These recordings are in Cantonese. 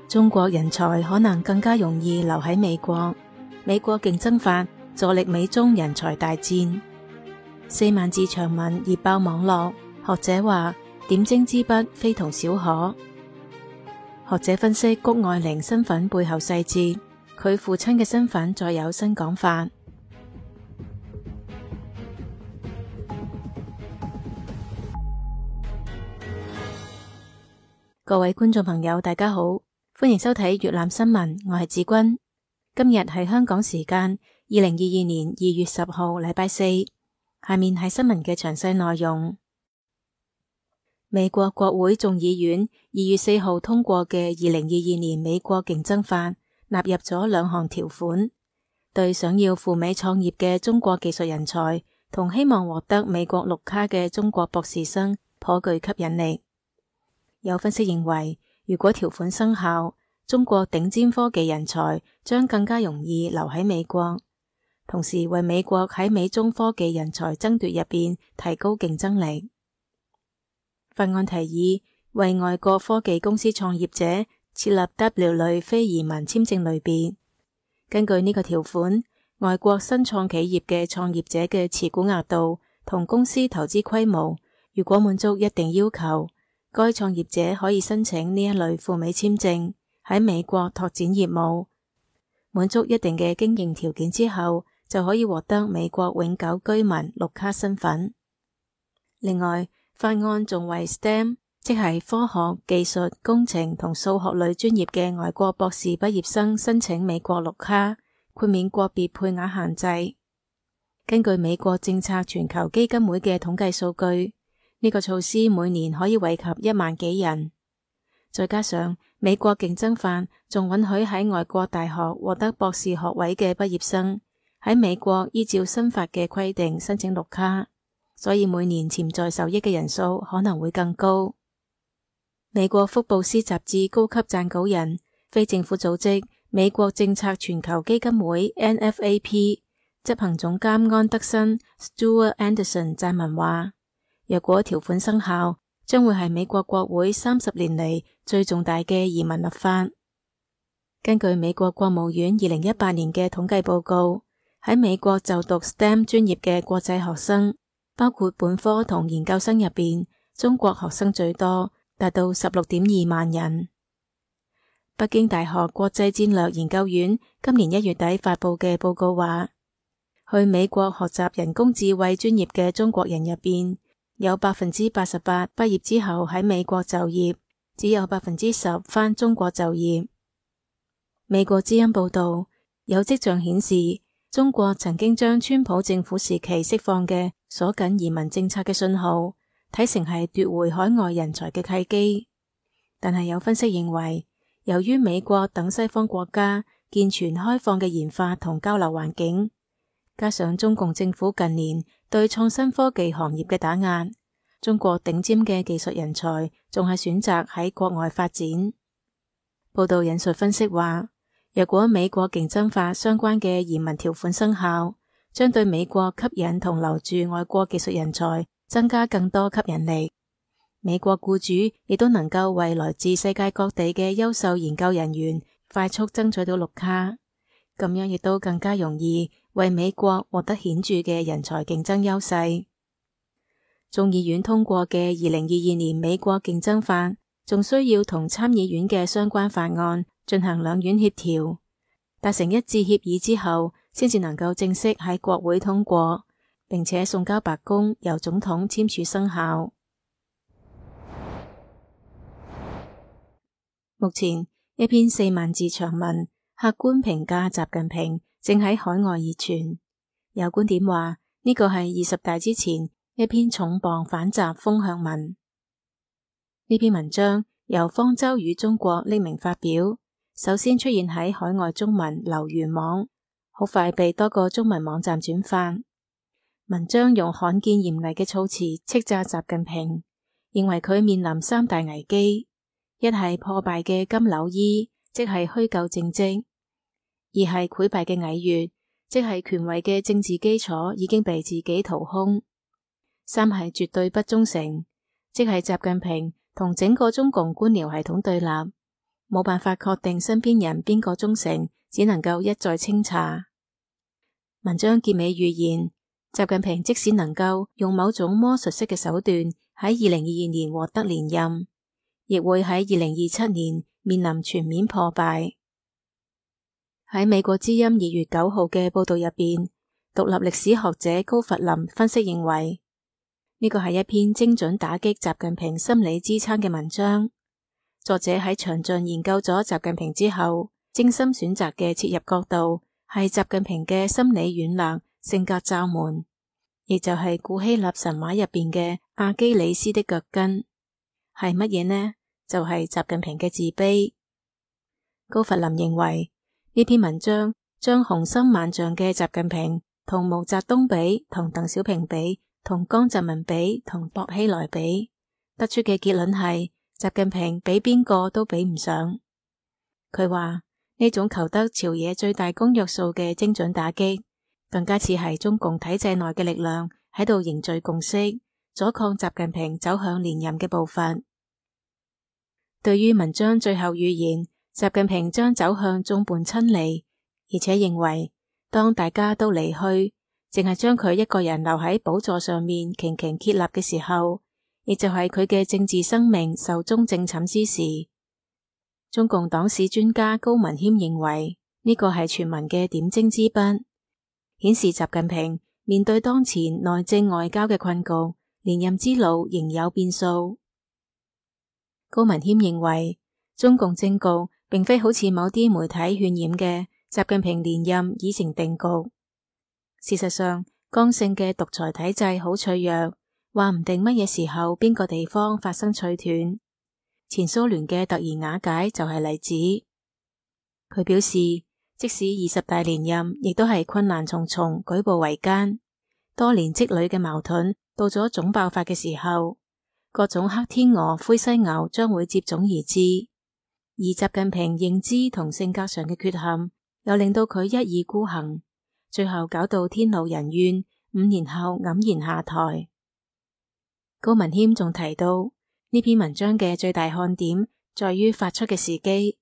中國人才可能更加容易留喺美國。美國競爭法助力美中人才大戰。4萬字長文熱爆網絡，學者話點睛之筆非同小可。學者分析谷愛凌身份背後細節，佢父親嘅身份再有新講法。各位觀眾朋友大家好，歡迎收睇粵覽新聞，我係子君。今日係香港時間2022年2月10號禮拜四，下面係新聞嘅詳細內容。美國國會眾議院2月4號通過嘅2022年美國競爭法納入咗2項條款，對想要赴美創業嘅中國技術人才同希望獲得美國綠卡嘅中國博士生頗具吸引力。有分析認為，如果條款生效，中國頂尖科技人才將更加容易留喺美國，同時為美國喺美中科技人才爭奪入邊提高競爭力。法案提議為外國科技公司創業者設立 W 類非移民簽證類別。根據呢個條款，外國新創企業嘅創業者嘅持股額度同公司投資規模，如果滿足一定要求，該創業者可以申請呢一類赴美簽證，喺美國拓展業務。滿足一定嘅經營條件之後，就可以獲得美國永久居民綠卡身份。另外，法案仲為 STEM， 即係科學、技術、工程同數學類專業嘅外國博士畢業生申請美國綠卡，豁免個別配額限制。根據美國政策全球基金會嘅統計數據，呢個措施每年可以惠及1萬幾人。再加上美國競爭法仲允許喺外國大學獲得博士學位嘅畢業生喺美國依照新法嘅規定申請綠卡，所以每年潛在受益嘅人數可能會更高。美國福布斯雜誌高級撰稿人、非政府組織美國政策全球基金會 NFAP 執行總監安德森 Stuart Anderson 撰文話，若果條款生效，將會係美國國會30年嚟最重大嘅移民立法。根據美國國務院2018年嘅統計報告，喺美國就讀 STEM 專業嘅國際學生，包括本科同研究生入邊，中國學生最多，達到16.2萬人。北京大學國際戰略研究院今年1月底發佈嘅報告話，去美國學習人工智慧專業嘅中國人入邊，有 88% 畢業之後喺美國就業，只有 10% 返中國就業。美國之音報道，有跡象顯示，中國曾經將川普政府時期釋放嘅鎖緊移民政策嘅信號睇成係奪回海外人才嘅契機。但係有分析認為，由於美國等西方國家健全開放嘅研發同交流環境，加上中共政府近年對創新科技行業嘅打壓，中國頂尖嘅技術人才仲係選擇喺國外發展。報道引述分析話，若果美國競爭法相關嘅移民條款生效，將對美國吸引同留住外國技術人才增加更多吸引力。美國僱主亦都能夠為來自世界各地嘅優秀研究人員快速爭取到綠卡，咁樣亦都更加容易為美國獲得顯著嘅人才競爭優勢。眾議院通過嘅2022年美國競爭法，仲需要同參議院嘅相關法案進行兩院協調，達成一致協議之後，先至能夠正式喺國會通過，並且送交白宮由總統簽署生效。目前一篇4萬字長文，客觀評價習近平正喺海外熱傳。有觀點話，呢個係20大之前一篇重磅反習風向文。呢篇文章由方舟與中國匿名發表，首先出現喺海外中文留言網，好快被多個中文網站轉發。文章用罕見嚴厲嘅措辭斥責習近平，認為佢面臨3大危機。一係破敗嘅金縷衣，即係虛構政績；二係潰敗嘅蟻穴，即係權威嘅政治基礎已經被自己掏空；三係絕對不忠誠，即係習近平同整個中共官僚系統對立，冇辦法確定身邊人邊個忠誠，只能夠一再清查。文章結尾預言，習近平即使能夠用某種魔術式嘅手段喺2022年獲得連任，亦會喺2027年面臨全面破敗。喺美國之音2月9號嘅報道入邊，獨立歷史學者高弗林分析認為，呢個係一篇精準打擊習近平心理支撐嘅文章。作者喺詳盡研究咗習近平之後，精心選擇嘅切入角度係習近平嘅心理軟肋、性格罩門，亦就係古希臘神話入邊嘅阿基里斯的腳跟。係乜嘢呢？就係習近平嘅自卑。高弗林認為呢篇文章將雄心萬丈嘅習近平同毛澤東比，同鄧小平比，同江澤民比，同薄熙來比，得出嘅結論係習近平比邊個都比唔上。佢話呢種求得朝野最大公約數嘅精準打擊，更加似係中共體制內嘅力量喺度凝聚共識，阻抗習近平走向連任嘅步伐。對於文章最後預言習近平將走向眾叛親離，而且認為當大家都離去，淨係將佢一個人留喺寶座上面擎擎竭立嘅時候，亦就係佢嘅政治生命壽終正寢之時，中共黨史專家高文謙認為呢個係全文嘅點睛之筆，顯示習近平面對當前內政外交嘅困局，連任之路仍有變數。高文謙認為中共政局並非好似某啲媒體渲染嘅習近平連任已成定局。事實上，剛性嘅獨裁體制好脆弱，話唔定乜嘢時候邊個地方發生脆斷。前蘇聯嘅突然瓦解就係例子。佢表示，即使20大連任，亦都係困難重重，舉步維艱。多年積累嘅矛盾到咗總爆發嘅時候，各種黑天鵝、灰犀牛將會接踵而至。而習近平認知同性格上嘅缺陷，又令到佢一意孤行，最後搞到天怒人怨，5年後黯然下台。高文謙仲提到呢篇文章嘅最大看點在於發出嘅時機。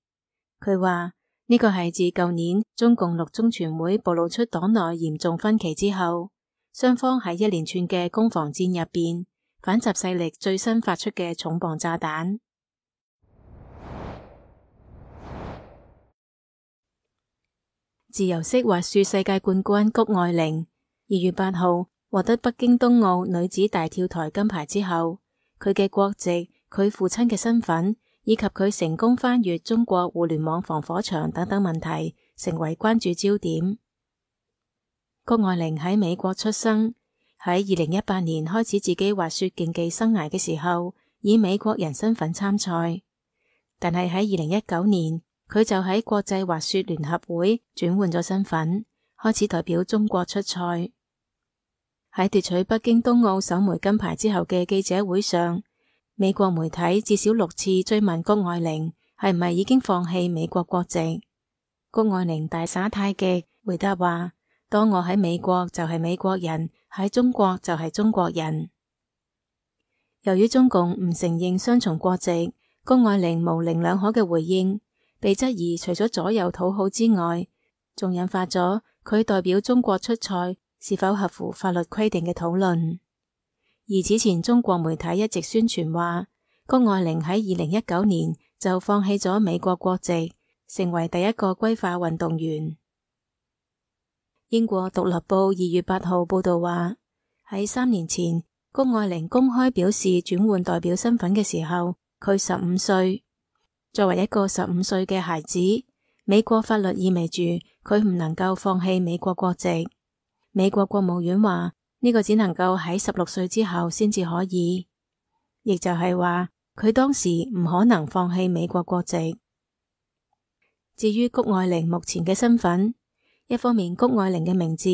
佢話呢個係自舊年中共六中全會暴露出黨內嚴重分歧之後，雙方喺一連串嘅攻防戰入邊，反習勢力最新發出嘅重磅炸彈。自由式滑雪世界冠軍谷愛凌2月8號獲得北京冬奧女子大跳台金牌之後，佢嘅國籍、佢父親嘅身份以及佢成功翻越中國互聯網防火牆等等問題，成為關注焦點。谷愛凌喺美國出生，喺2018年開始自己滑雪競技生涯嘅時候，以美國人身份參賽，但係喺2019年，佢就喺國際滑雪聯合會轉換咗身份，開始代表中國出賽。喺奪取北京冬奧首枚金牌之後嘅記者會上，美國媒體至少6次追問谷愛凌係唔係已經放棄美國國籍。谷愛凌大耍太極，回答話：當我喺美國就係美國人，喺中國就係中國人。由於中共唔承認雙重國籍，谷愛凌模棱兩可嘅回應被質疑，除咗左右討好之外，仲引發咗佢代表中國出賽是否合乎法律規定嘅討論。而此前中國媒體一直宣傳話，谷愛凌喺2019年就放棄咗美國國籍，成為第一個歸化運動員。英國獨立報2月8號報道話，喺3年前，谷愛凌公開表示轉換代表身份嘅時候，佢15歲。作為一個15歲嘅孩子，美國法律意味住佢唔能夠放棄美國國籍。美國國務院話呢個只能夠喺16歲之後先至可以，亦就係話佢當時唔可能放棄美國國籍。至於谷愛凌目前嘅身份，一方面谷愛凌嘅名字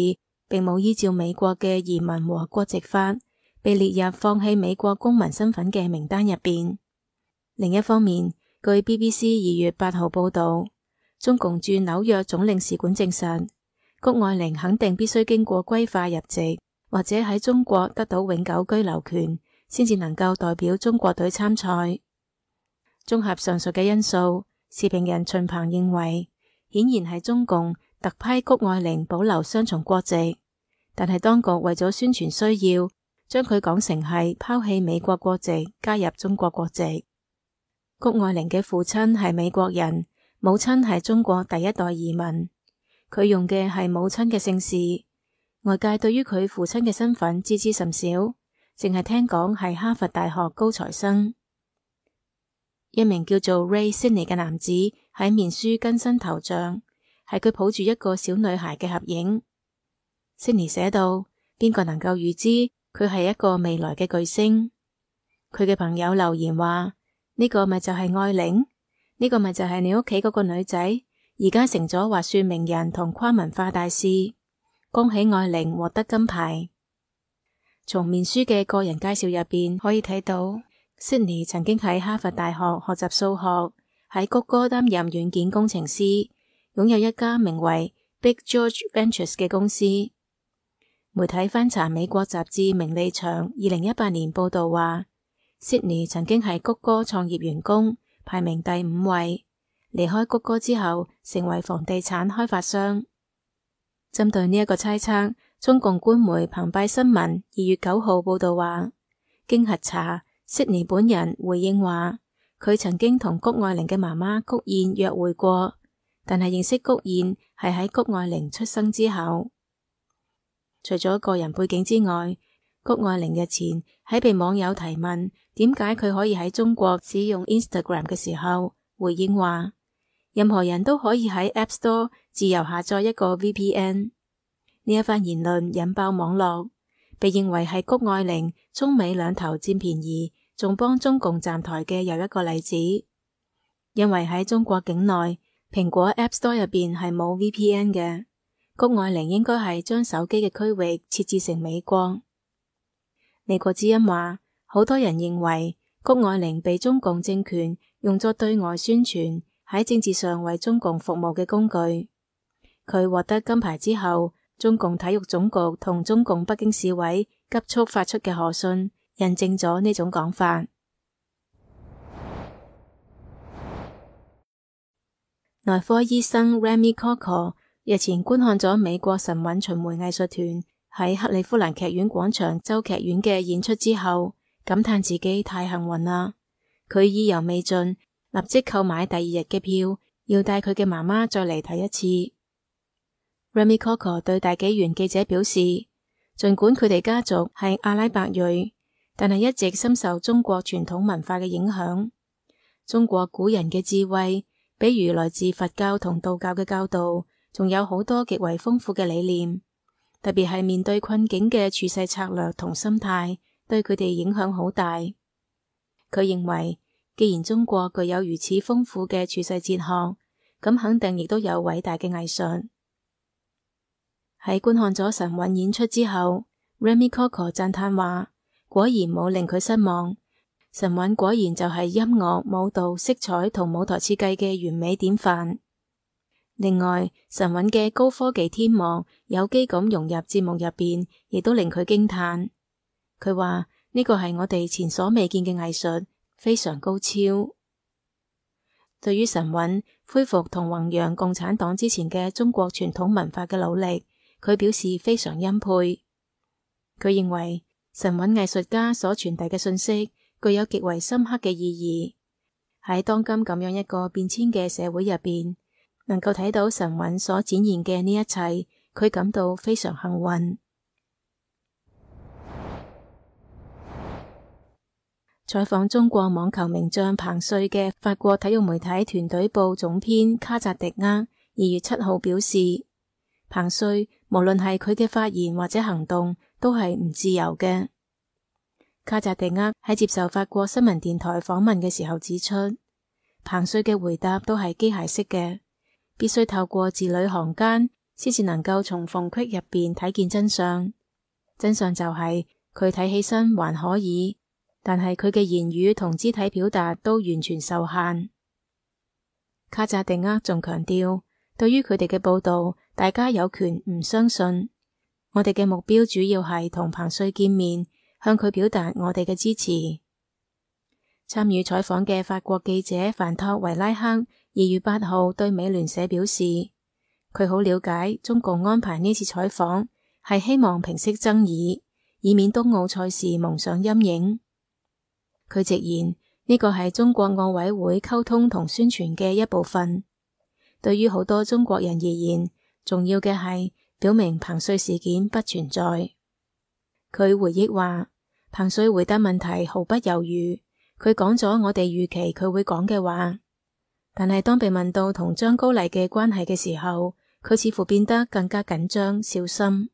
並冇依照美國嘅移民和國籍法被列入放棄美國公民身份嘅名單入邊，另一方面，據 BBC 2月8號報道，中共駐紐約總領事館證實，谷愛凌肯定必須經過歸化入籍，或者喺中國得到永久居留權，先至能夠代表中國隊參賽。綜合上述嘅因素，時評人秦鵬認為，顯然係中共特批谷愛凌保留雙重國籍，但係當局為咗宣傳需要，將佢講成係拋棄美國國籍，加入中國國籍。谷愛凌嘅父親係美國人，母親係中國第一代移民，佢用嘅係母親嘅姓氏。外界對於佢父親嘅身份知之甚少，淨係聽講係哈佛大學高材生。一名叫做 Ray Sidney 嘅男子喺面書更新頭像，係佢抱住一個小女孩嘅合影。Sidney 寫到：邊個能夠預知佢係一個未來嘅巨星？佢嘅朋友留言話：呢個咪就係愛玲，呢個咪就係你屋企嗰個女仔，而家成咗滑雪名人同跨文化大使。恭喜愛玲獲得金牌。從面書嘅個人介紹入邊可以睇到，Sidney 曾經喺哈佛大學學習數學，喺谷歌擔任軟件工程師，擁有一家名為 Big George Ventures 嘅公司。媒體翻查美國雜誌名利場2018年報道話，Sidney 曾經係谷歌創業員工，排名第5位。離開谷歌之後，成為房地產開發商。針對呢一個猜測，中共官媒澎湃新聞2月9號報道話，經核查，Sidney 本人回應話，佢曾經同谷愛凌嘅媽媽谷燕約會過，但係認識谷燕係喺谷愛凌出生之後。除咗個人背景之外，谷愛凌日前喺被網友提問點解佢可以喺中國使用 Instagram 嘅時候，回應話，任何人都可以喺 App Store 自由下載一個 VPN。呢一番言論引爆網絡，被認為係谷愛凌中美兩頭佔便宜，仲幫中共站台嘅又一個例子。因為喺中國境內，蘋果 App Store 入邊係冇 VPN 嘅，谷愛凌應該係將手機嘅區域設置成美國。美國之音話，好多人認為谷愛凌被中共政權用作對外宣傳，喺政治上為中共服務嘅工具。佢獲得金牌之後，中共體育總局同中共北京市委急速發出嘅賀信，印證咗呢種講法。內科醫生 Remy Coco 日前觀看咗美國神韻巡迴藝術團喺克利夫蘭劇院廣場州劇院嘅演出之後，感嘆自己太幸運啦。佢意猶未盡，立即購買第2日嘅票，要帶佢嘅媽媽再嚟睇一次。Remy Coco 對大紀元記者表示，盡管佢哋家族係阿拉伯裔，但係一直深受中國傳統文化嘅影響。中國古人嘅智慧，比如來自佛教同道教嘅教導，仲有好多極為豐富嘅理念，特別係面對困境嘅處世策略同心態，對佢哋影響好大。佢認為，既然中國具有如此豐富嘅處世哲學，咁肯定亦都有偉大嘅藝術。喺觀看咗神韻演出之後，Remy Coco 讚嘆話，果然冇令佢失望。神韻果然就係音樂、舞蹈、色彩同舞台設計嘅完美典範。另外，神韻嘅高科技天幕有機咁融入節目入邊，亦都令佢驚嘆。佢話呢個係我哋前所未見嘅藝術，非常高超。對於神韻恢復同弘揚共產黨之前嘅中國傳統文化嘅努力，佢表示非常欽佩。佢認為神韻藝術家所傳遞嘅信息具有極為深刻嘅意義。喺當今咁樣一個變遷嘅社會入邊，能夠睇到神韻所展現嘅呢一切，佢感到非常幸運。採訪中國網球名將彭帥嘅法國體育媒體團隊報總編卡扎迪厄2月7號表示，彭帥無論係佢嘅發言或者行動都係唔自由嘅。卡扎迪厄喺接受法國新聞電台訪問嘅時候指出，彭帥嘅回答都係機械式嘅，必須透過字裏行間先至能夠從縫隙入邊睇見真相。真相就係佢睇起身還可以，但係佢嘅言語同肢體表達都完全受限。卡扎迪厄仲強調，對於佢哋嘅報道，大家有權唔相信。我哋嘅目標主要係同彭帥見面，向佢表達我哋嘅支持。參與採訪嘅法國記者范托維拉克2月8號對美聯社表示，佢好了解中共安排呢次採訪係希望平息爭議，以免冬奧賽事蒙上陰影。佢直言呢個係中國奧委會溝通同宣傳嘅一部分。對於好多中國人而言，重要嘅係表明彭帥事件不存在。佢回憶話，彭帥回答問題毫不猶豫，佢講咗我哋預期佢會講嘅話。但係當被問到同張高麗嘅關係嘅時候，佢似乎變得更加緊張小心。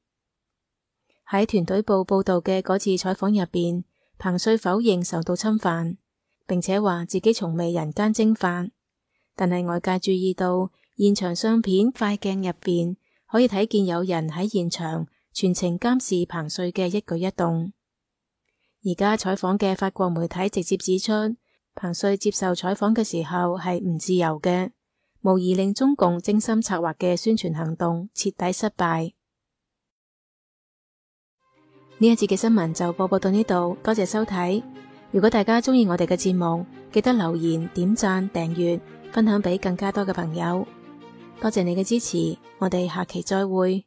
喺團隊報報道嘅嗰次採訪入邊，彭帥否認受到侵犯，並且話自己從未人間蒸發。但係外界注意到現場相片快鏡入邊可以睇見有人喺現場全程監視彭帥嘅一舉一動。而家採訪嘅法國媒體直接指出，彭帥接受採訪嘅時候係唔自由嘅，無疑令中共精心策劃嘅宣傳行動徹底失敗。呢一節嘅新聞就播報到呢度，多謝收睇。如果大家鍾意我哋嘅節目，記得留言、點讚、訂閱、分享俾更加多嘅朋友。多謝你嘅支持，我哋下期再會。